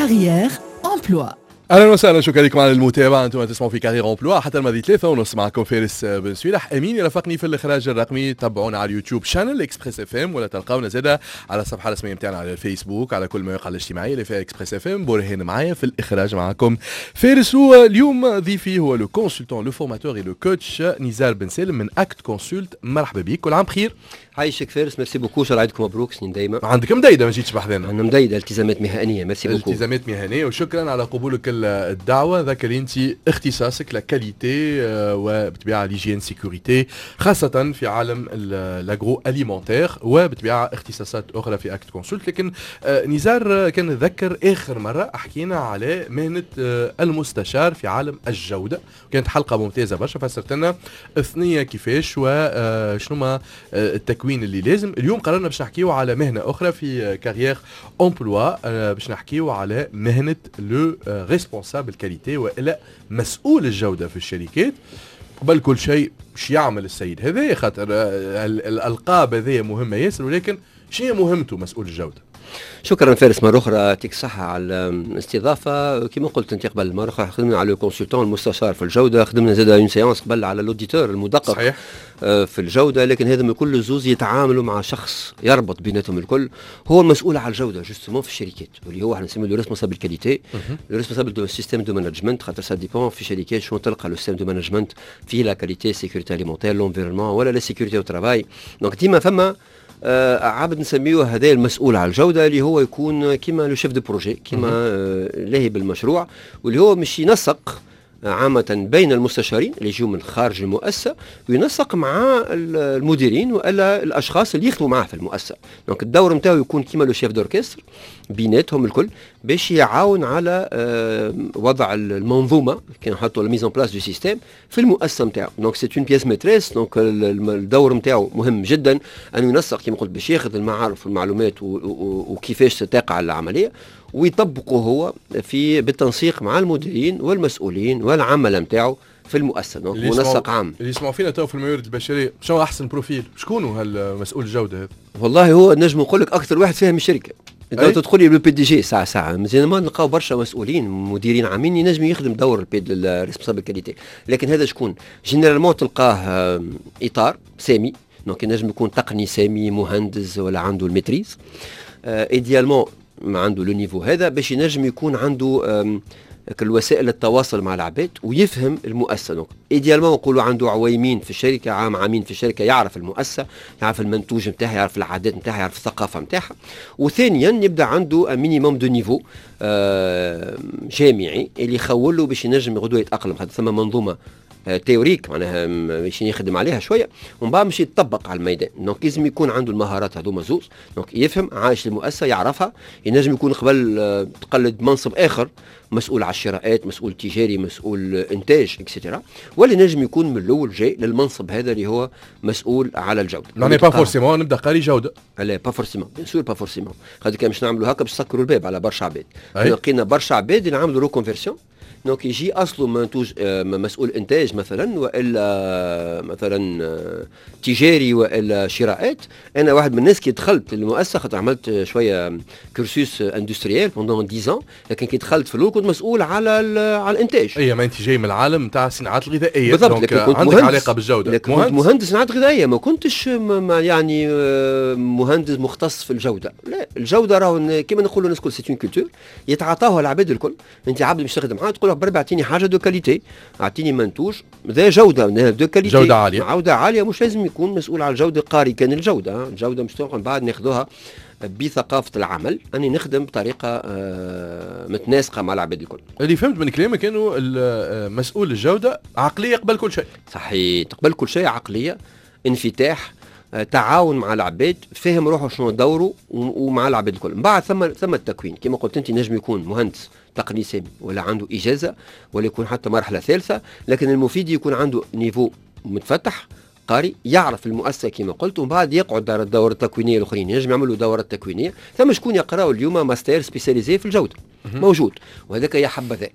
Carrière Emploi. اهلا وسهلا، شكرا لكم على المتابعه. انتم تسمعوا في Carrière Emploi حتى الماضي 3:30، معكم فارس بن سويلح، امين يرافقني في الاخراج الرقمي. تابعونا على اليوتيوب chaîne Express FM، ولا تلقاونا زاده على الصفحة الرسمية نتاعنا على الفيسبوك، على كل المواقع الاجتماعية اللي فيها Express FM. برهان معايا في الاخراج، معكم فارس. اليوم ضيفي هو le consultant، le formateur، le coach نزار بن سالم من Act Consult. مرحبا بك، كل عام بخير. عايشك فارس، merci beaucoup، شاء عيدكم مبروك، سنين دايما. عندك مديدة ما جيتش بحذانا. عندنا مديدة، التزامات مهنية، merci beaucoup. التزامات مهنية، وشكرا على قبولك الدعوة. ذاك اللي انت اختصاصك la qualité وبالطبيعة l'hygiène sécurité، خاصة في عالم l'agroalimentaire، وبالطبيعة اختصاصات أخرى في Act Consult. لكن نزار، كان نتذكر آخر مرة حكينا على مهنة المستشار في عالم الجودة، كانت حلقة ممتازة برشا، فسرت لنا الثنية كيفاش وشنو ما التكوين اللي لازم. اليوم قررنا باش نحكيو على مهنة أخرى في Carrière Emploi، باش نحكيو على مهنة le responsable qualité والا مسؤول الجودة في الشركات. قبل كل شيء، باش يعمل السيد هذا؟ خاطر الالقاب هذه مهمة ياسر، ولكن شنو مهمته مسؤول الجوده؟ شكرا فارس مرة أخرى، يعطيك الصحة على الاستضافة. كما قلت أنت قبل، مرة أخرى خدمنا على le consultant المستشار في الجودة، خدمنا زاد une séance قبل على l'auditeur المدقق في الجودة، لكن هذا الكل زوز يتعاملوا مع شخص يربط بيناتهم الكل، هو المسؤول على الجودة justement في الشركات، واللي هو احنا نسميه le responsable qualité، le responsable de système de management، خاطر ça dépend في شركات شنو تلقى le système de management فيه la qualité، sécurité alimentaire، l'environnement ولا la sécurité au travail. donc ديما فما عبد نسميه هذا المسؤول على الجوده، اللي هو يكون كيما le chef de projet، كيما لاهي بالمشروع، واللي هو مش ينسق عامة بين المستشارين اللي يجوا من خارج المؤسسة، وينسق مع المديرين والا الاشخاص اللي يخدموا معاه في المؤسسة. donc الدور نتاعو يكون كيما le chef d'orchestre بيناتهم الكل، باش يعاون على وضع المنظومة، كي نحطوا la mise en place du système في المؤسسة نتاعو. donc c'est une pièce maîtresse. donc الدور نتاعو مهم جدا، انه ينسق كما قلت، باش ياخذ المعارف والمعلومات وكيفاش تقع العملية ويطبقه هو في بالتنسيق مع المديرين والمسؤولين والعملاء نتاعو في المؤسسه. donc منسق عام. اللي يسمعوا فينا تو في الموارد البشريه، شنو احسن profil؟ شكون هالمسؤول الجودة هذا؟ والله هو نجم نقول لك اكثر واحد فاهم الشركه. انت تدخل لي le PDG ساعة ساعه، مازال ما نلقاو برشا مسؤولين مديرين عامين ينجم يخدم دور ال responsable qualité. لكن هذا شكون؟ généralement تلقاه اطار سامي، donc ينجم يكون تقني سامي، مهندس، ولا عنده ال maîtrise idéalement، ما عنده le niveau هذا باش ينجم يكون عنده الوسائل التواصل مع العباد ويفهم المؤسسه. donc idéalement نقولوا عنده عويمين في الشركه، عام عامين في الشركه، يعرف المؤسسه، يعرف المنتوج نتاعها، يعرف العادات نتاعها، يعرف الثقافة نتاعها. وثانيا يبدا عنده minimum de niveau جامعي اللي يخول له باش ينجم غدوه يتاقلم، خاطر ثم منظومة théorique معناها باش يخدم عليها شوية ومن بعد باش يطبق على الميدان. donc لازم يكون عنده المهارات هذوما زوز، donc يفهم، عايش المؤسسه، يعرفها، ينجم يكون قبل تقلد منصب اخر، مسؤول على الشراءات، مسؤول تجاري، مسؤول انتاج، et cetera، ولا ينجم يكون من الاول جاي للمنصب هذا اللي هو مسؤول على الجوده. يعني pas forcément نبدا قاري جوده. لا، pas forcément، bien sûr pas forcément، خاطر كان باش نعملوا هكا باش نسكروا الباب على برشا عباد. لقينا برشا عباد اللي عملوا reconversion، donc يجي اصله منتوج مسؤول انتاج مثلا، والا مثلا تجاري، والا شراءات. انا واحد من الناس كي دخلت المؤسسه، خاطر عملت شوية cursus industriel pendant 10، لكن كي دخلت في الاول كنت مسؤول على الانتاج. اي، ما انت جاي من العالم نتاع الصناعات الغذائيه. بالضبط. لكن كنت عندك علاقة بالجوده. لكن مهندس، كنت مهندس صناعات غذائيه، ما كنتش ما يعني مهندس مختص في الجوده. لا، الجودة راهو كيما نقولوا الناس الكل c'est une culture يتعاطاوها العباد الكل. انت عبد مش تخدم معاه تقول له بربي اعطيني حاجة de qualité، اعطيني منتوج ذا جوده، de qualité. جوده عاليه. جوده عاليه. مش لازم يكون مسؤول على الجودة قاري كان الجوده. الجودة مش بعد ناخذوها بثقافة العمل، اني نخدم بطريقة متناسقه مع العباد الكل. اللي فهمت من كلامك انه مسؤول الجودة عقلية قبل كل شيء. صحيح، قبل كل شيء عقليه، انفتاح، تعاون مع العباد، فهم روحه شنو دوره ومع العباد الكل. من بعد ثم التكوين كما قلت انت، نجم يكون مهندس تقني سامي ولا عنده اجازه ولا يكون حتى مرحلة ثالثه، لكن المفيد يكون عنده niveau متفتح، قاري، يعرف المؤسسة كما قلت، ومن بعد يقعد دار الدورة التكوينيه الاخرين، ينجم يعملوا دورات تكوينيه. ثم شكون يقراوا اليوم mastère spécialisé في الجوده، موجود، وهذاك يا حبذا.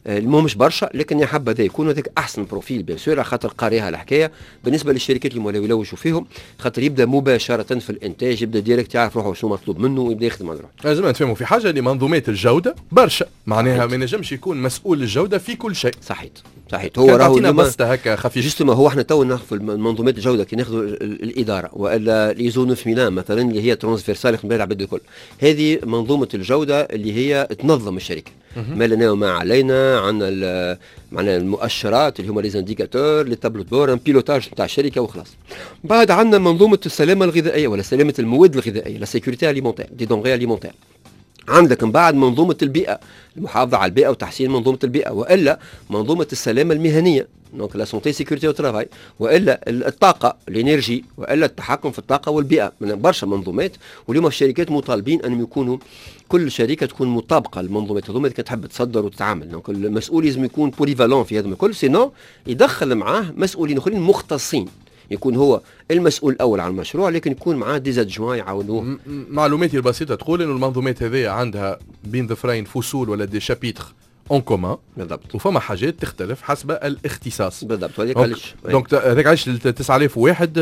المهم مش برشا، لكن يا حبذا يكون هذاك احسن profil bien sûr، خاطر قاريها الحكايه. بالنسبة للشركات اللي مولاو يلوجوا فيهم، خاطر يبدا مباشرة في الانتاج، يبدا direct يعرف روحه شنو مطلوب منه ويبدا يخدم على روحه. لازم نتفهموا في حاجه، اللي منظومات الجودة برشا، معناها ما ينجمش يكون مسؤول الجودة في كل شيء. صحيت صحيت. هو راهو بسطه هكا خفيف. justement هو احنا تو ناخذ منظومات الجودة كي ناخذ الادارة والا l'ISO 9001 مثلا، اللي هي transversale يخدم بها العباد الكل. هذه منظومة الجودة اللي هي تنظم الشركه، ما لنا وما علينا، عندنا معنا المؤشرات اللي هما les indicateurs، les tableaux de bord، un pilotage نتاع الشركة وخلاص. بعد عندنا منظومة السلامة الغذائية ولا سلامه المواد الغذائيه، la sécurité alimentaire، des denrées alimentaires. عندك من بعد منظومة البيئه، المحافظة على البيئة وتحسين منظومة البيئه، والا منظومة السلامة المهنيه، donc la santé sécurité au travail، والا الطاقه، l'énergie، والا التحكم في الطاقة والبيئه. من برشا منظومات. واليوم الشركات مطالبين انهم يكونوا، كل شركة تكون مطابقه للمنظومات هذوما اذا كانت تحب تصدر وتتعامل. donc المسؤول لازم يكون polyvalent في هذا الكل، sinon يدخل معاه مسؤولين اخرين مختصين، يكون هو المسؤول الاول على المشروع لكن يكون معاه des adjoints يعاونوه. معلوماتي البسيطة تقول انه المنظومات هذه عندها بين ظفرين فصول ولا des chapitres en commun. وفما حاجات تختلف حسب الاختصاص. بالضبط، وهذاك علاش. donc هذاك علاش 9001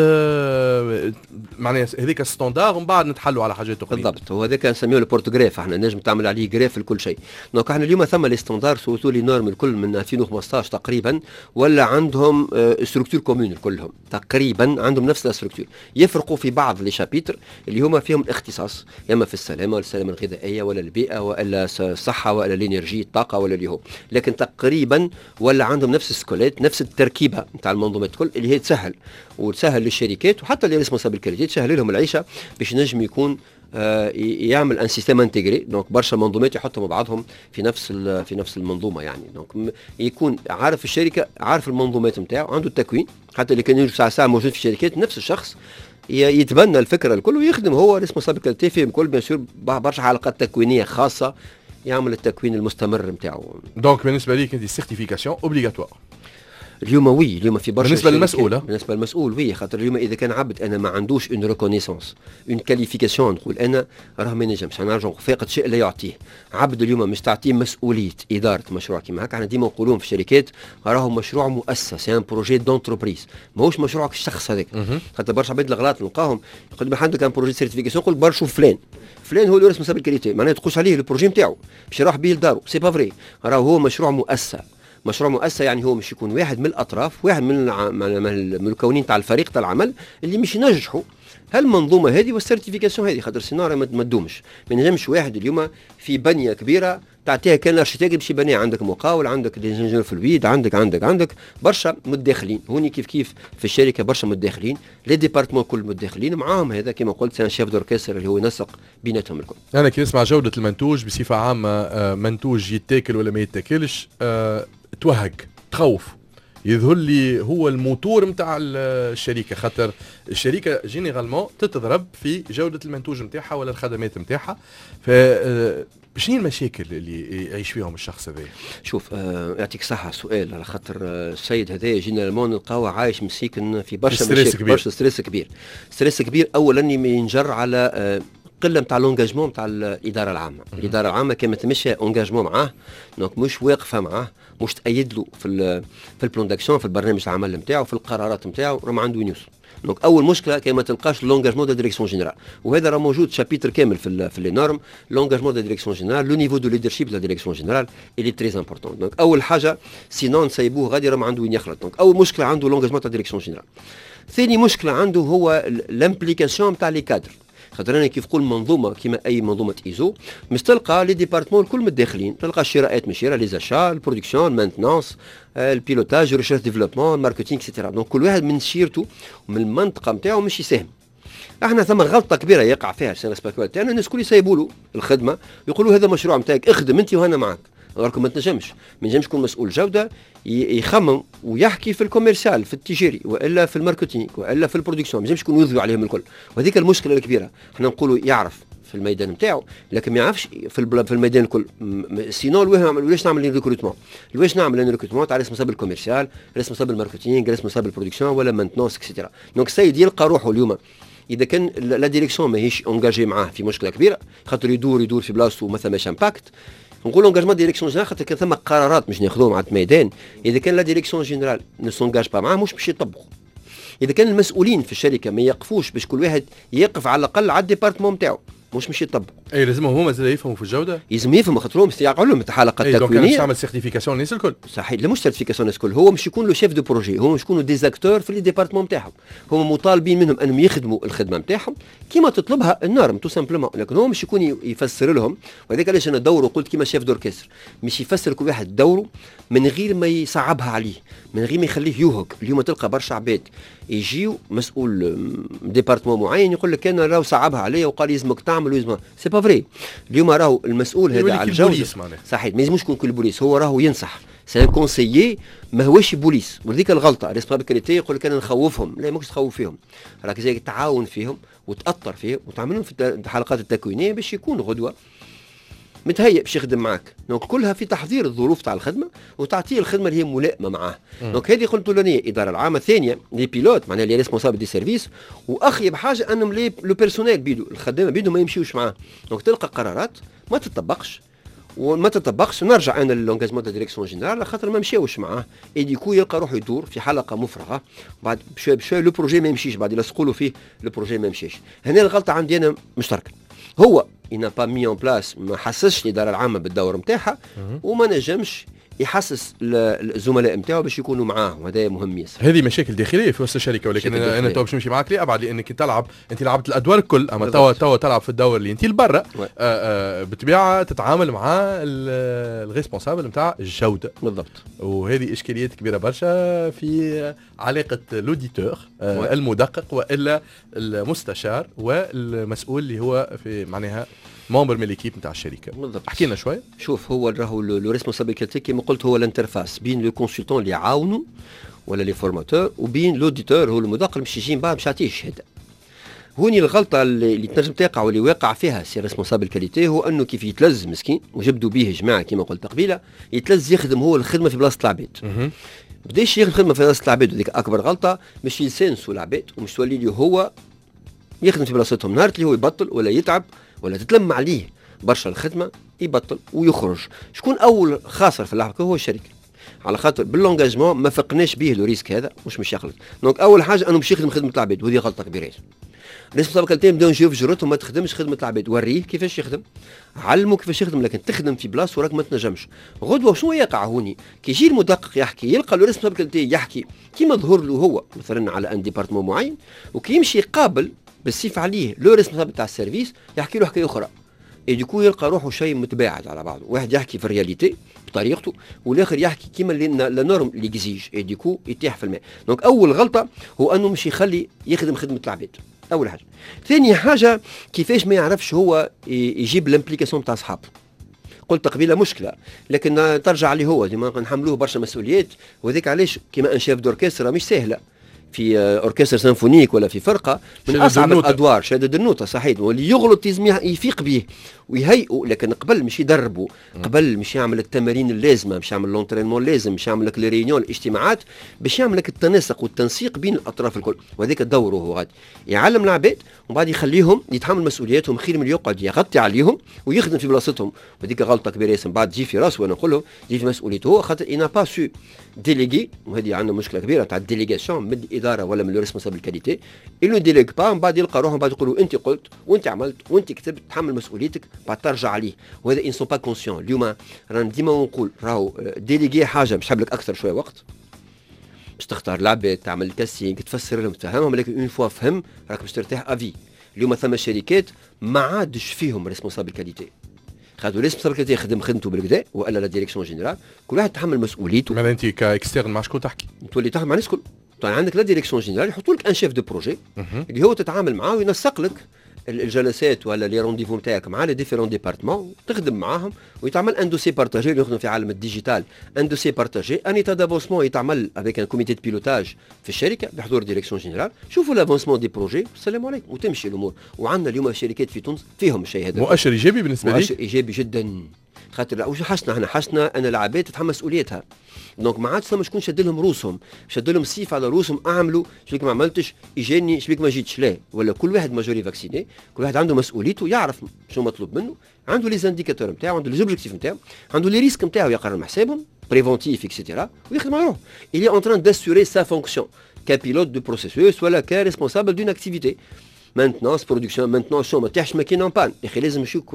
معناها هذيك standard، ومن بعد نتحلوا على حاجات اخرى. بالضبط، هو هذاك نسميه ال porte-greffe، احنا نجم تعمل عليه greffe لكل شيء. donc احنا اليوم ثم les standards، surtout les normes الكل من 2015 تقريبا ولا عندهم structure commune، كلهم تقريبا عندهم نفس ال structure، يفرقوا في بعض les chapitres اللي هما فيهم الاختصاص، يا اما في السلامة ولا السلامة الغذائية ولا البيئة ولا الصحة ولا l'énergie الطاقة ولا اللي هو، لكن تقريبا ولا عندهم نفس ال squelette، نفس التركيبة نتاع المنظومات الكل، اللي هي تسهل وتسهل للشركات وحتى les responsables qualité، تسهل لهم العيشة باش ينجم يكون يعمل un système intégré، donc برشا منظومات يحطهم مع بعضهم في نفس المنظومة يعني. donc يكون عارف الشركه، عارف المنظومات نتاعو، عنده التكوين، حتى اللي كان يوجد ساعة ساعة موجود في الشركات نفس الشخص يتبنى الفكرة الكل ويخدم هو responsable qualité فيهم الكل. bien sûr برشا حلقات تكوينيه خاصه، يعمل التكوين المستمر نتاعو. donc بالنسبة ليك انت certification obligatoire؟ اليوم oui، اليوم في برشا بالنسبة للمسؤول. بالنسبة للمسؤول oui، خاطر اليوم اذا كان عبد انا ما عندوش une reconnaissance، une qualification، نقول انا راه ما ينجمش. انا نرجع، فاقد شيء لا يعطيه. عبد اليوم مش تعطيه مسؤولية ادارة مشروع كيما هكا. احنا ديما نقولون في الشركات راهو مشروع مؤسسه، c'est un projet d'entreprise، ماهوش مشروعك الشخص هذاك. خاطر برشا عباد الغلط نلقاهم يقول ما عندك un projet certification، يقول برا شوف فلان، فلان هو اللي responsable qualité، معناها تقولش عليه ال projet نتاعو باش يروح به لدارو. c'est pas vrai، راهو هو مشروع مؤسسه. مشروع مؤسسة يعني هو مش يكون واحد من الاطراف، واحد من المكونين تاع الفريق تاع العمل اللي مش ينجحوا هالمنظومه هذه وال certification هذه، خاطر sinon ما تدومش. ما نجمش واحد اليوم في بنيه كبيرة تعطيها كان l'architecte باش يبنيها، عندك مقاول، عندك des ingénieurs fluides، عندك عندك عندك برشا متداخلين هوني. كيف كيف في الشركة برشا متداخلين، les départements كل متداخلين معاهم. هذا كما قلت c'est un chef d'orchestre اللي هو ينسق بيناتهم الكل. انا كي نسمع جوده المنتوج بصفة عامه، منتوج يتاكل ولا ما يتاكلش، توهق تخوف، يظهر لي هو الموتور نتاع الشركه، خاطر الشركة généralement تتضرب في جوده المنتوج نتاعها ولا الخدمات نتاعها. ف شنو المشاكل اللي يعيش فيهم الشخص هذا؟ شوف، يعطيك صحة سؤال، على خاطر السيد هذا généralement نلقاوه عايش مسيكن في برشا مشاكل، برشا stress كبير. stress كبير اولا ينجر على قلة نتاع l'engagement نتاع الادارة العامه. الادارة العامة كان ما تمشي engagement معاه، donc مش واقفة معاه، مش تأيد له في ال plan d'action، في البرنامج العمل نتاعو، في القرارات نتاعو، راه ما عنده وين يوصل. donc اول مشكلة كي ما تلقاش l'engagement de direction générale، وهذا راه موجود chapitre كامل في les normes، l'engagement de direction générale، le niveau de leadership de la direction générale il est très important. donc اول حاجه، sinon نسيبوه غادي راه ما عنده وين يخلط. donc اول مشكلة عنده l'engagement تاع direction générale. ثاني مشكلة عنده هو l'implication تاع les cadres، خاطر انا كيف نقول منظومة كيما اي منظومة ايزو مش تلقى les départements الكل متداخلين، تلقى الشراءات مشيره، les achats، ال production، maintenance، ال pilotage، recherche développement، marketing، et cetera. donc كل واحد من شيرته ومن المنطقة نتاعو مش يساهم. احنا ثم غلطه كبيرة يقع فيها ال service تاعنا، الناس الكل يسيبوا له الخدمه، يقولوا هذا مشروع نتاعك، اخدم انت وهنا معك. راكم ما تنجمش، ما ينجمش يكون مسؤول جوده يخمم ويحكي في ال commercial، في التجاري، والا في ال marketing، والا في ال production. ما ينجمش يكون يضوي عليهم الكل، وهذيك المشكلة الكبيره. احنا نقولوا يعرف في الميدان نتاعو لكن ما يعرفش في الميدان الكل. sinon علاش نعمل recrutement؟ علاش نعمل recrutement تاع responsable commercial، responsable marketing، responsable production ولا maintenance، et cetera؟ donc السيد يلقى روحه اليوم اذا كان la direction ماهيش engagée معاه في مشكلة كبيره، خاطر يدور يدور في بلاصتو وما ثماش impact. نقول engagement direction générale خاطر كان ثم قرارات مش ناخذوهم على الميدان، اذا كان la direction générale ne s'engage pas معاه مش باش يطبقوا. اذا كان المسؤولين في الشركة ما يقفوش باش كل واحد يقف على الاقل على ال département نتاعو، مش مش يطبقوا. اي لازمهم هما زاد يفهموا في الجوده، لازم يفهموا خاطر هم يقعوا لهم الحلقة التكوينيه. donc تعمل certification الناس الكل. صحيح، لا مش certification الناس الكل، هو مش يكون le chef de projet، هو مش يكونوا des acteurs في les départements نتاعهم، هما مطالبين منهم انهم يخدموا الخدمة نتاعهم كيما تطلبها ال norme tout simplement، لكن هو مش يكون يفسر لهم. وهذاك علاش انا دوره قلت كيما chef d'orchestre، مش يفسر كل واحد دوره من غير ما يصعبها عليه، من غير ما يخليه يوهق. اليوم تلقى برشا عباد يجيو مسؤول département معين يقول لك انا راهو صعبها عليا وقال لازمك تعمل ويلزم، c'est pas vrai. اليوم راهو المسؤول هذا على الجوده، صحيح، ما يلزموش يكون كل بوليس، هو راهو ينصح، c'est un conseiller، ما هوش بوليس. وذيك الغلطة responsable qualité يقول لك انا نخوفهم، لا ماكش تخوف فيهم، راك زي تعاون فيهم وتاثر فيهم وتعمل لهم في الحلقات التكوينيه باش يكون غدوه متهيئ باش يخدم معك. donc كلها في تحضير الظروف تاع الخدمة وتعطيه الخدمة اللي هي ملائمه معاه. donc هذه قلت الاولانية الادارة العامه، الثانية les pilotes معناها les responsables des services، واخيب حاجة انهم les le personnel بيدو، الخدامة بيدو ما يمشيوش معاه. donc تلقى قرارات ما تطبقش وما تطبقش. نرجع انا ل l'engagement de direction générale خاطر ما مشاوش معاه، et du coup يلقى روحه يدور في حلقة مفرغه، بعد بشوي بشوي le projet ما يمشيش، بعد يلصقوا له فيه le projet ما يمشيش. هنا الغلطة عندي انا مشتركه، هو il n'a pas mis en place، ما حسسش الادارة العامة بالدور نتاعها وما نجمش يحسس الزملاء نتاعو باش يكونوا معاه، وهذا مهم ياسر. هذه مشاكل داخلية في وسط الشركه، ولكن انا تو باش نمشي معاك لابعد، لانك تلعب، انت لعبت الادوار الكل، اما توا تلعب في الدور اللي انت لبرا، بالطبيعة تتعامل مع ال responsable نتاع الجوده. وهذه اشكاليات كبيرة برشا في علاقة l'auditeur المدقق والا المستشار والمسؤول اللي هو في معناها membre من l'équipe نتاع الشركه. احكي لنا شوي. شوف، هو راهو le responsable qualité كيما قلت هو l'interface بين le consultant اللي يعاونوا ولا les formateurs وبين l'auditeur هو المدقق اللي مش يجي من بعد مش يعطيه الشهاده. هوني الغلطة اللي تنجم تقع واللي واقع فيها ces responsables qualité هو انه كيف يتلز مسكين وجبدوا به جماعة كيما قلت قبيله، يتلز يخدم هو الخدمة في بلاصة العباد. بداش يخدم خدمة في بلاصة العباد، وذيك اكبر غلطه، مش يسانسوا العباد ومش تولي لي هو يخدم في بلاصتهم. نهار اللي هو يبطل ولا يتعب ولا تتلم عليه برشا الخدمة يبطل ويخرج. شكون اول خاسر في اللعبه؟ هو الشركه، على خاطر بال l'engagement ما فقناش به le risque هذا مش يخلط. donc اول حاجة انه مش يخدم خدمة العباد، وهذه غلطه كبيرة. responsable qualité نبداو نجيو في جرتهم، ما تخدمش خدمة العباد، وريه كيفاش يخدم، علمه كيفاش يخدم، لكن تخدم في بلاصة وراك ما تنجمش. غدوه شنو يقع هوني؟ كي يجي المدقق يحكي يلقى le responsable qualité يحكي كيما ظهر له هو مثلا على un département معين، وكي يمشي يقابل بالسيف عليه le responsable تاع ال service يحكي له حكاية اخرى، et du coup يلقى روحه شيء متباعد على بعضه، واحد يحكي في ال réalité بطريقته والاخر يحكي كيما la norme l'exige، et du coup يطيح في الماء. donc اول غلطه هو انه مش يخلي يخدم خدمة العباد، اول حاجه. ثاني حاجة كيفاش ما يعرفش هو يجيب l'implication تاع اصحابه. قلت قبيلة مشكله، لكن ترجع عليه هو، ديما نحملوه برشا مسؤوليات. وذيك علاش كيما un chef d'orchestre مش سهله، في orchestre symphonique ولا في فرقه من اصعب الادوار شادد النوتة، صحيح، واللي يغلط لازم يفيق به ويهيئه، لكن قبل مش يدربه، قبل مش يعمل التمارين اللازمه، مش يعمل l'entraînement اللازم، مش يعمل لك les réunions، الاجتماعات، باش يعمل لك التناسق والتنسيق بين الاطراف الكل. وهذاك دوره هو غادي يعلم العباد ومن بعد يخليهم يتحمل مسؤولياتهم، خير من يقعد يغطي عليهم ويخدم في بلاصتهم. وهذيك غلطه كبيرة ياسر، بعد تجي في راسه، وانا نقول له تجي في مسؤوليته هو، خاطر il n'a pas su déléguer. وهذه عندنا مشكلة كبيرة تاع ال délégation من الادارة ولا من le responsable qualité، il ne délègue pas. من بعد يلقى روحه، من بعد يقولوا انت قلت وانت عملت وانت كتبت، تحمل مسؤوليتك، بعد ترجع عليه. وهذا ils sont pas conscients. اليوم رانا ديما نقول راهو déléguer حاجة مش لك اكثر شوية وقت باش تختار العباد، تعمل casting، تفسر لهم، تفهمهم، لكن une fois فهم راك باش ترتاح à vie. اليوم ثم شركات ما عادش فيهم responsable qualité، خاطر responsable qualité يخدم خدمته بالكدا والا la direction générale، كل واحد يتحمل مسؤوليته. معناها انت ك externe مع شكون تحكي؟ تولي تحكي مع الناس الكل. طيب عندك la direction générale يحطوا لك un chef de projet اللي هو تتعامل معاه وينسق لك الجلسات ولا les rendez-vous نتاعك مع les différents départements، تخدم معاهم ويتعمل un dossier partagé. اللي يخدم في عالم ال digital، un dossier partagé، un état d'avancement يتعمل avec un comité de pilotage في الشركة بحضور direction générale، شوفوا l'avancement des projets، السلام عليكم، وتمشي الامور. وعندنا اليوم شركات في تونس فيهم الشيء هذا. مؤشر ايجابي بالنسبة لي. مؤشر ايجابي جدا. خاطر وش حسنا احنا؟ حسنا ان العباد تتحمل مسؤوليتها، donc ما عادش ثم شكون شد لهم روسهم، شد لهم السيف على روسهم، اعملوا شبيك ما عملتش، اجاني شبيك ما جيتش. لا، ولا كل واحد majorité vacciné، كل واحد عنده مسؤوليته، يعرف شنو مطلوب منه، عنده les indicateurs نتاعو، عنده les objectifs نتاعو، عنده les risques نتاعو، يقرا حسابهم préventif et cetera ويخدم على روحه. il est en train d'assurer sa fonction ك pilote de processus ولا ك responsable d'une activité، maintenance، production، maintenance، شو ما تيحش ماكينة en panne. يا اخي لازم يشوك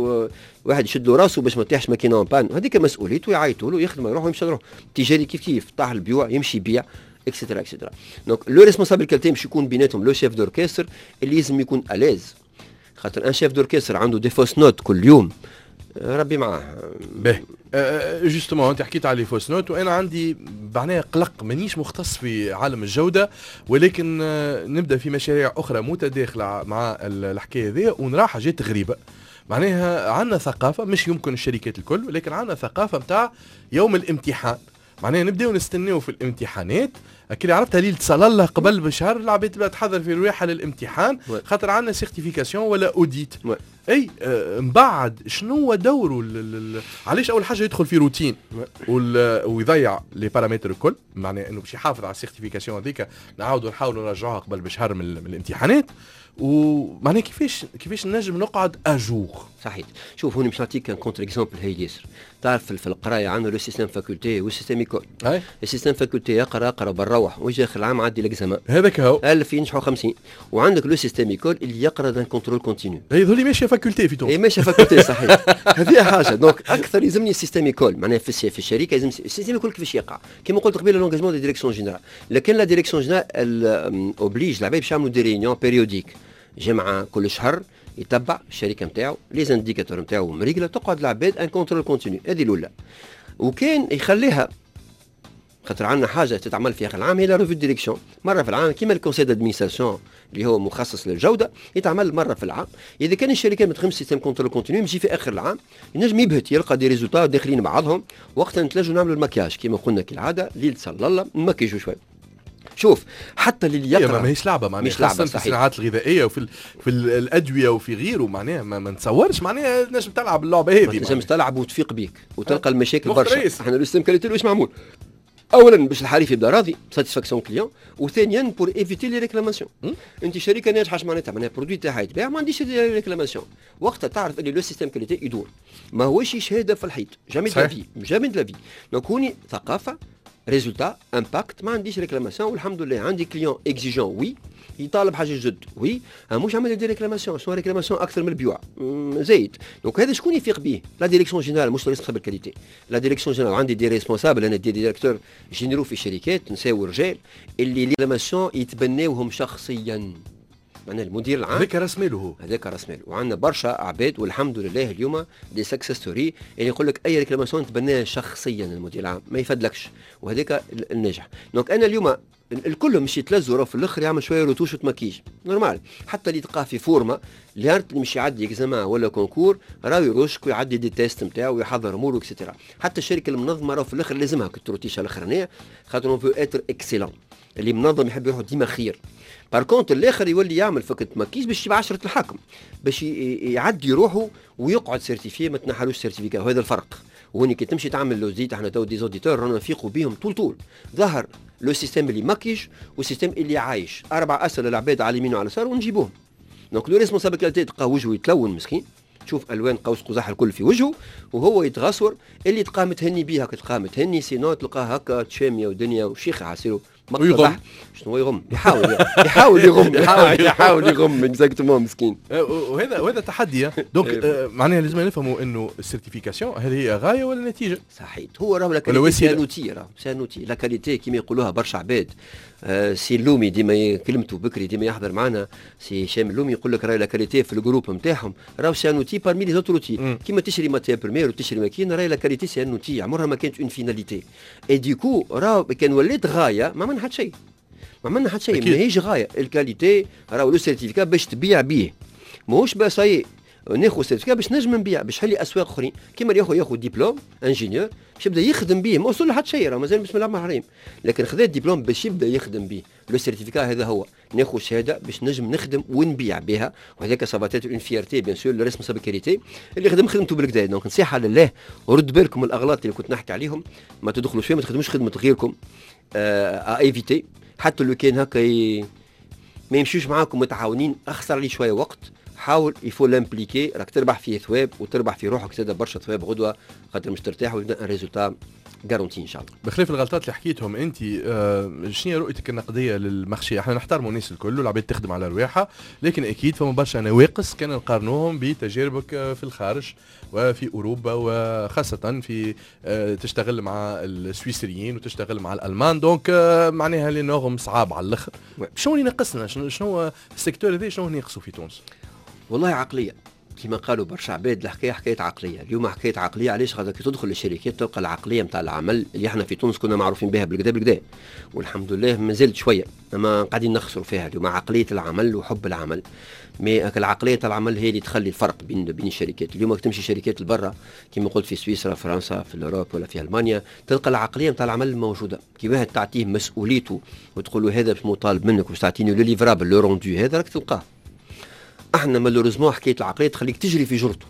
واحد يشد له راسه باش ما تيحش ماكينة en panne، هذيك مسؤوليته، يعيطوا له يخدم يروح ويمشي يروح. تجاري كيف كيف، طاح البيوع يمشي يبيع et cetera et cetera. donc le responsable qualité باش يكون بيناتهم le chef d'orchestre اللي لازم يكون à l'aise، خاطر un chef d'orchestre عنده des fausses notes كل يوم، ربي معاه. باهي، justement انت حكيت على les fausses notes، وانا عندي معناها قلق، مانيش مختص في عالم الجودة ولكن نبدا في مشاريع اخرى متداخلة مع الحكاية هذه ونرى حاجات غريبه. معناها عندنا ثقافه، مش يمكن الشركات الكل، ولكن عندنا ثقافة نتاع يوم الامتحان، معناها نبداو نستناو في الامتحانات اللي عرفتها ليلة صلى الله قبل بشهر، العباد تبدا تحضر في رواحها للامتحان خاطر عندنا certification ولا audit. اي من بعد شنو هو دوره؟ علاش اول حاجة يدخل في روتين ويضيع les paramètres الكل؟ معناها انه باش يحافظ على ال certification هذيك نعاودوا نحاولوا نرجعوها قبل بشهر من الامتحانات، ومعناها كيفاش نجم نقعد à jour؟ صحيح، شوف هوني باش نعطيك un contre-exemple هايل ياسر. تعرف في القراية عندنا le système faculté وال système école. ال système faculté يقرا اقرا بروح ويجي اخر العام عدي l'examen. هذاك هو. 1000 ينجحوا 50. وعندك le système école اللي يقرا d'un contrôle continu. هي ذولي ماشية faculté في تونس. هي ماشية faculté، صحيح، هذه حاجه. donc اكثر يلزمني ال système école، معناها في الشركة لازم ال système école. كيفاش يقع؟ كما قلت قبيلة l'engagement de direction générale، لكن la direction générale oblige العباد باش يعملوا des réunions périodiques، جمعه كل شهر، يتبع الشركة نتاعو، les indicateurs نتاعو مريقله، تقعد العباد en contrôle continu. هذه الاولى. وكان يخليها، خاطر عندنا حاجة تتعمل في اخر العام، هي la revue de direction مرة في العام، كيما ال conseil d'administration اللي هو مخصص للجوده، يتعمل مرة في العام. اذا كان الشركة ما تخدمش système contrôle continu، يجي في اخر العام ينجم يبهت، يلقى des résultats داخلين بعضهم. وقتها نتلجوا نعملوا المكياج كيما قلنا كالعاده، ليلة صلى الله نمكيجوا شوي. شوف حتى اللي يقرا ما ماهيش لعبه معناها، خاصة في الصناعات الغذائية وفي في الادوية وفي غيره، معناها ما نتصورش معناها نجم تلعب اللعبة هذه. ما تنجمش تلعب وتفيق بيك وتلقى المشاكل برشا. احنا le système qualité واش معمول؟ اولا باش الحريف يبدا راضي، satisfaction client، وثانيا pour éviter les réclamations. انت شركة ناجحة اش معناتها؟ معناها produit تاعها يتباع، ما عنديش réclamations. وقتها تعرف اللي le système qualité يدور، ما هوش شهادة في الحيط، jamais de la vie، jamais de la vie. donc هوني ثقافه، résultat، impact، ما عنديش réclamation والحمد لله. عندي client exigeant، oui، يطالب حاجة جد، oui، مش عمل des réclamations. شنو réclamation اكثر من البيوع زايد. donc هذا شكون يفيق به؟ la direction générale، مش responsable qualité، la direction générale. عندي des responsables، انا des directeurs généraux في شركات، نساء ورجال، اللي les réclamations يتبناوهم شخصيا، معناها المدير العام. هذاك راس ماله هو. هذاك راس ماله. وعندنا برشا عباد والحمد لله اليوم des success stories اللي يقول لك اي réclamation تبناها شخصيا المدير العام، ما يفدلكش، وهذاك الناجح. donc انا اليوم الكل مش يتلزوا في الاخر يعمل شوية رتوش وتمكيج normal. حتى اللي تلقاه في forme اللي مش يعدي examen ولا concours، راهو يرشك ويعدي des tests نتاعو ويحضر اموره et cetera. حتى الشركة المنظمة راهو في الاخر لازمها التروتيشه الاخرانيه، خاطر on veut être excellent. اللي منظم يحب يروح ديما خير. par contre الاخر يولي يعمل فكرة مكيج باش يبقى عشرة الحاكم، باش يعدي روحه ويقعد certifié، ما تنحلوش certificat. وهذا الفرق. وهوني كي تمشي تعمل l'audit، احنا تو des auditeurs رانا نفيقوا بيهم طول طول. ظهر le système اللي مكيج وال système اللي عايش. اربع اسئلة العباد على اليمين وعلى اليسار ونجيبوهم. donc le responsable qualité تلقاه وجهه يتلون مسكين، تشوف الوان قوس قزح الكل في وجهه وهو يتغصور. اللي تلقاه متهني بيها تلقاه متهني، sinon تلقاه هكا تشاميه ودنيا وشيخه عسيرو. ويغم. شنو يغم؟ يحاول يغم، يحاول يغم exactement مسكين. وهذا تحدي. donc معناها لازم نفهموا انه ال certification هل هي غاية ولا نتيجة؟ صحيح، هو راهو la qualité c'est un outil، راهو c'est un outil la qualité كيما يقولوها برشا عباد. سي اللومي ديما كلمته بكري، ديما يحضر معنا سي هشام اللومي، يقول لك راهي la qualité في ال groupe نتاعهم راهو c'est un outil parmi les autres outils. كيما تشري matière première وتشري ماكينه، راهي la qualité c'est un outil، عمرها ما كانت une finalité. et du coup راهو كان ولات غاية ما عملنا حتى شيء، ما عملنا حتى شيء. ماهيش غاية ال qualité، راهو le certificat باش تبيع بيه، ماهوش بس. ناخذ certificat باش نجم نبيع، باش نحل اسواق اخرين. كيما اللي ياخذ diplôme ingénieur باش يبدا يخدم به، ما وصل لحد شيء، راه مازال بسم الله الرحمن الرحيم، لكن خذا الدبلوم باش يبدا يخدم به. le certificat هذا هو، ناخذ شهادة باش نجم نخدم ونبيع بها، وهذاك ça va être une fierté bien sûr le responsable qualité اللي خدم خدمته بالكدا. donc نصيحة لله، ورد بالكم الاغلاط اللي كنت نحكي عليهم، ما تدخلوش فيها، ما تخدموش خدمة غيركم، à éviter. حتى لو كان هكا ما يمشيوش معاكم متعاونين، اخسر لي شوية وقت، حاول il faut l'impliquer، راك تربح فيه ثواب وتربح في روحك زاد برشا ثواب غدوه، خاطر مش ترتاح ويبدا un résultat garanti ان شاء الله. بخلاف الغلطات اللي حكيتهم انت، شنو هي رؤيتك النقدية لل marché؟ احنا نحترموا الناس الكل والعباد تخدم على رواحها، لكن اكيد فما برشا نواقص كان نقارنوهم بتجاربك في الخارج وفي اوروبا، وخاصة في تشتغل مع السويسريين وتشتغل مع الالمان، donc معناها les normes صعاب على الاخر. شنو اللي ناقصنا؟ شنو ال secteur هذا شنو ناقصه في تونس؟ والله عقلية، كما قالوا برشا عباد، الحكاية حكاية عقلية. اليوم حكاية عقلية. علاش؟ خاطر كي تدخل للشركات تلقى العقلية نتاع العمل اللي احنا في تونس كنا معروفين بها بالكدا بالكدا، والحمد لله مازالت شوية، اما قاعدين نخسروا فيها اليوم عقلية العمل وحب العمل. mais العقلية تاع العمل هي اللي تخلي الفرق بين الشركات. اليوم كي تمشي شركات لبرا كما قلت في سويسرا، فرنسا، في l'Europe ولا في المانيا، تلقى العقلية نتاع العمل موجودة. كي واحد تعطيه مسؤوليته وتقول له هذا باش مطالب منك باش تعطيني le livrable le rendu، هذا راك تلقاه. احنا malheureusement حكاية العقلية تخليك تجري في جرته،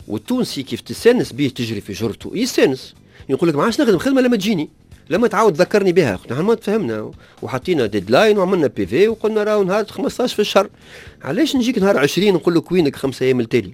والتونسي كيف تستانس به تجري في جرته يستانس، يقول لك ما عادش نخدم خدمة لما تجيني، لما تعاود تذكرني بها. نحن ما تفهمنا وحطينا deadline وعملنا PV وقلنا راهو نهار 15 في الشهر، علاش نجيك نهار 20 نقول لك وينك 5 ايام التالي؟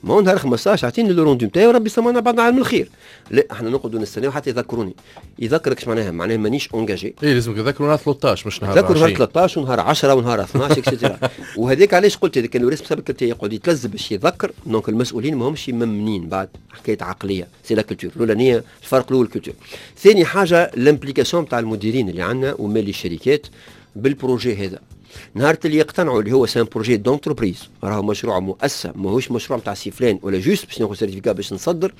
ما هو نهار 15 اعطيني le rendu نتاعي وربي سمعنا بعضنا على الخير. لا، احنا نقعدوا نستناو حتى يذكروني. يذكرك اش معناها؟ معناها مانيش engagé. اي لازم يذكروا نهار 13 مش نهار 20. نهار 13 ونهار 10 ونهار 12 et cetera. وهذاك علاش قلت اذا كان le responsable يقعد يتلزم باش يذكر، donc المسؤولين ماهمش ممنين بعد حكاية عقلية، c'est la culture الاولانية، الفرق الاول culture. ثاني حاجة l'implication تاع المديرين اللي عندنا ومالي الشركات بال projet هذا. نهار اللي يقتنعوا اللي هو c'est un projet d'entreprise، راهو مشروع مؤسسة ماهوش مشروع نتاع سي فلان ولا juste باش ناخذ certificat باش نصدر،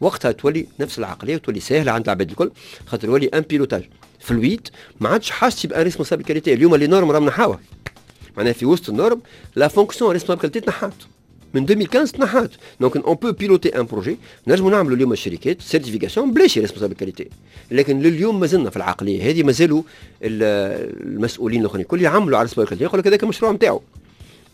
وقتها تولي نفس العقلية وتولي ساهله عند العباد الكل، خاطر يولي un pilotage fluide، ما عادش حاجتي ب un responsable qualité. اليوم les normes راهم نحاوها، معناها في وسط ال normes la fonction responsable qualité تنحات من 2015 تنحات. donc on peut piloter un projet، نجموا نعملوا اليوم الشركات certification بلاش responsable qualité، لكن لليوم مازلنا في العقلية هذه، مازالوا المسؤولين الاخرين الكل يعملوا على responsable qualité، يقول لك هذاك المشروع نتاعو،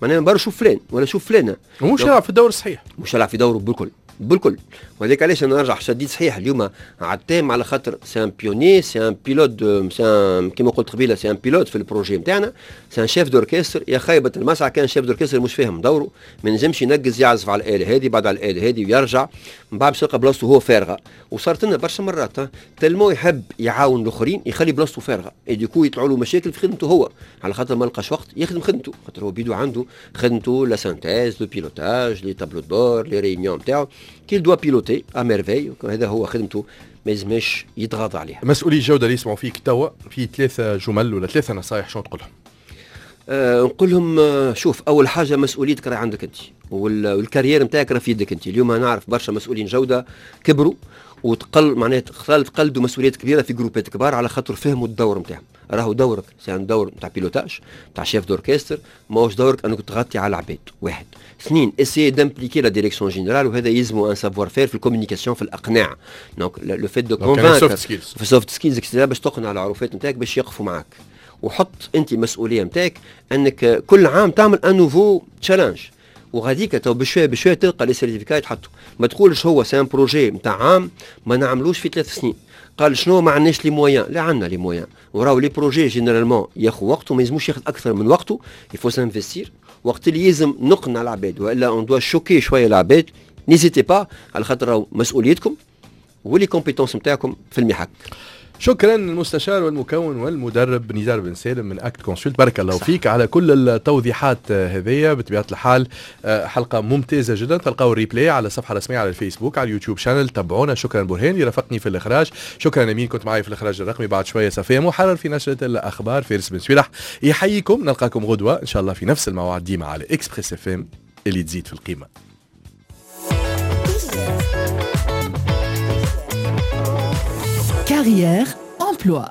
معناها برا شوف فلان ولا شوف فلانه، مش يلعب في الدور الصحيح، مش يلعب في دوره بالكل بالكل. وهذاك علاش انا نرجع شديد صحيح اليوم على التام، على خاطر c'est un pionnier، c'est un pilote، c'est un كيما قلت قبيلة c'est un pilote في ال projet نتاعنا، c'est un chef d'orchestre. يا خيبه المسعى كان chef d'orchestre مش فاهم دوره، ما نجمش ينقز يعزف على الاله هذه بعد على الاله هذه ويرجع من بعد باش يلقى بلاصته هو فارغة. وصارت لنا برشا مرات tellement يحب يعاون الاخرين يخلي بلاصته فارغة، et du coup يطلعوا له مشاكل في خدمته هو، على خاطر ما لقاش وقت يخدم خدمته، خاطر هو بيدو عنده خدمته la synthèse، le pilotage، les tableaux de bord، les réunions نتاعو qu'il doit piloter à merveille، هذا هو خدمته، ما يلزمش يتغاضى عليها. مسؤولي الجودة اللي يسمعوا فيك توا في 3 جمل ولا 3 نصائح شنو تقول لهم؟ نقول لهم شوف، اول حاجة مسؤوليتك راهي عندك انت، وال carrière نتاعك راه في يدك انت. اليوم نعرف برشا مسؤولين جوده كبروا وتقل معناها تقلدوا مسؤوليات كبيرة في groupes كبار على خاطر فهموا الدور نتاعهم. راهو دورك c'est un دور نتاع pilotage نتاع chef d'orchestre، ماهوش دورك انك تغطي على العباد. واحد، اثنين، essayer d'impliquer la direction générale، وهذا يلزمو un savoir-faire في ال communication، في الاقناع، donc le fait de convaincre في soft skills باش تقنع العروفات نتاعك باش يقفوا معاك. وحط انت مسؤولية نتاعك انك كل عام تعمل un nouveau challenge، وغاديك تو بشوية بشوية تلقى les certificats يتحطوا. ما تقولش هو c'est un projet نتاع عام ما نعملوش في 3 سنين، قال شنو ما عندناش les moyens، لا عندنا les moyens، وراهو les projets généralement ياخذ وقته، ما يلزموش ياخذ اكثر من وقته، il faut s'investir. وقت اللي يلزم نقنع العباد والا on doit choquer شوية العباد، n'hésitez pas، على خاطر راهو مسؤوليتكم و les compétences نتاعكم في المحك. شكرا المستشار والمكون والمدرب نزار بن سالم من Act Consult، بارك الله فيك على كل التوضيحات هذيا. بطبيعة الحال حلقة ممتازة جدا، تلقاو ال replay على الصفحة الرسمية على الفيسبوك، على اليوتيوب channel، تابعونا. شكرا برهان اللي رافقني في الاخراج، شكرا امين كنت معي في الاخراج الرقمي. بعد شوية صفيه محرر في نشره الاخبار، فارس بن سويلح يحييكم، نلقاكم غدوه ان شاء الله في نفس الموعد ديما على Express FM اللي تزيد في القيمة. Carrière, emploi.